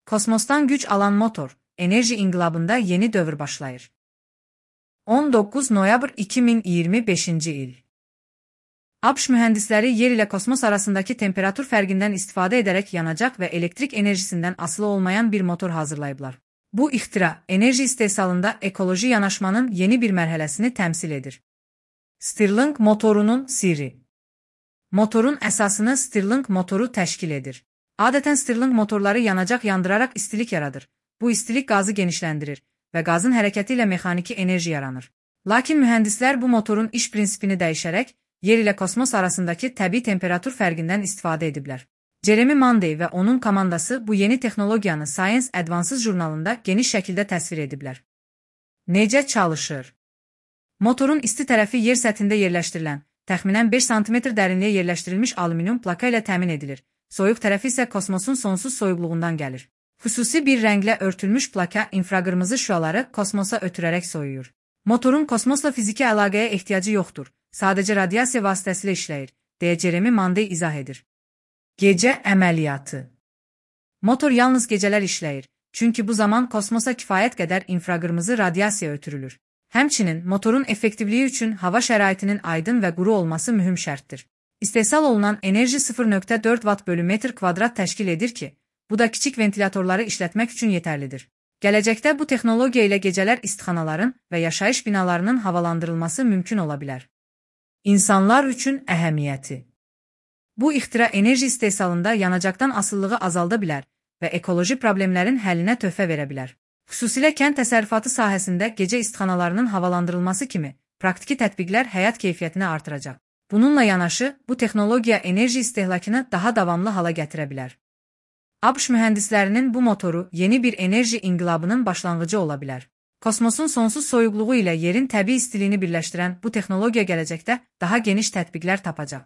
Kosmosdan güc alan motor, enerji inqilabında yeni dövr başlayır. 19 noyabr 2025-ci il. ABŞ mühəndisləri yer ilə kosmos arasındakı temperatur fərqindən istifadə edərək yanacaq və elektrik enerjisindən asılı olmayan bir motor hazırlayıblar. Bu ixtira, enerji istehsalında ekoloji yanaşmanın yeni bir mərhələsini təmsil edir. Stirling motorunun sirri. Motorun əsasını Stirling motoru təşkil edir. Adətən Stirling motorları yanacaq yandıraraq istilik yaradır. Bu istilik qazı genişləndirir və qazın hərəkəti ilə mexaniki enerji yaranır. Lakin mühəndislər bu motorun iş prinsipini dəyişərək, yer ilə kosmos arasındakı təbii temperatur fərqindən istifadə ediblər. Jeremy Monday və onun komandası bu yeni texnologiyanı Science Advances jurnalında geniş şəkildə təsvir ediblər. Necə çalışır? Motorun isti tərəfi yer səthində yerləşdirilən, təxminən 5 sm dərinliyə yerləşdirilmiş alüminium plaka ilə təmin edilir. Soyuq tərəfi isə kosmosun sonsuz soyuqluğundan gəlir. Xüsusi bir rənglə örtülmüş plaka infraqırmızı şüaları kosmosa ötürərək soyuyur. Motorun kosmosla fiziki əlaqəyə ehtiyacı yoxdur, sadəcə radiasiya vasitəsilə işləyir, deyə Jeremy Monday izah edir. Gecə əməliyyatı. Motor yalnız gecələr işləyir, çünki bu zaman kosmosa kifayət qədər infraqırmızı radiasiya ötürülür. Həmçinin, motorun effektivliyi üçün hava şəraitinin aydın və quru olması mühüm şərtdir. İstehsal olunan enerji 0,4 watt bölü metr kvadrat təşkil edir ki, bu da kiçik ventilatorları işlətmək üçün yetərlidir. Gələcəkdə bu texnologiya ilə gecələr istixanaların və yaşayış binalarının havalandırılması mümkün ola bilər. İnsanlar üçün əhəmiyyəti. Bu ixtira enerji istehsalında yanacaqdan asılılığı azalda bilər və ekoloji problemlərin həllinə töhfə verə bilər. Xüsusilə kənd təsərrüfatı sahəsində gecə istixanalarının havalandırılması kimi praktiki tətbiqlər həyat keyfiyyətini artıracaq. Bununla yanaşı, bu texnologiya enerji istehlakını daha davamlı hala gətirə bilər. ABŞ mühəndislərinin bu motoru yeni bir enerji inqilabının başlanğıcı ola bilər. Kosmosun sonsuz soyuqluğu ilə yerin təbii istiliyini birləşdirən bu texnologiya gələcəkdə daha geniş tətbiqlər tapacaq.